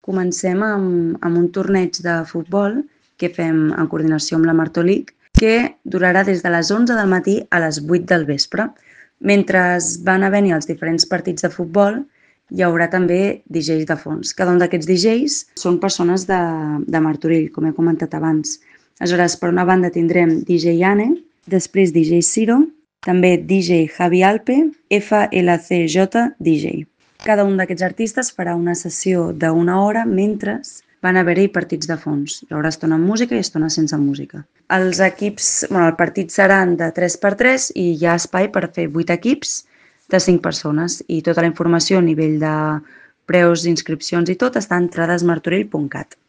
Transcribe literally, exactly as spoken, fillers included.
Comencem amb, amb un torneig de futbol que fem en coordinació amb la Martolic, que durarà des de les onze del matí a les vuit del vespre. Mentre van haver-hi els diferents partits de futbol, hi haurà també D Js de fons. Cada un d'aquests D Js són persones de, de Martorell, com he comentat abans. Aleshores, per una banda tindrem D J Anne, després D J Ciro, també D J Javi Alpe, F L C J D J. Cada un d'aquests artistes farà una sessió d'una hora mentre van haver-hi partits de fons. Hi haurà estona amb música i estona sense música. Els equips, bueno, el partit seran de tres per tres i hi ha espai per fer vuit equips de cinc persones i tota la informació a nivell de preus, inscripcions i tot està a entradesmartorell punt cat.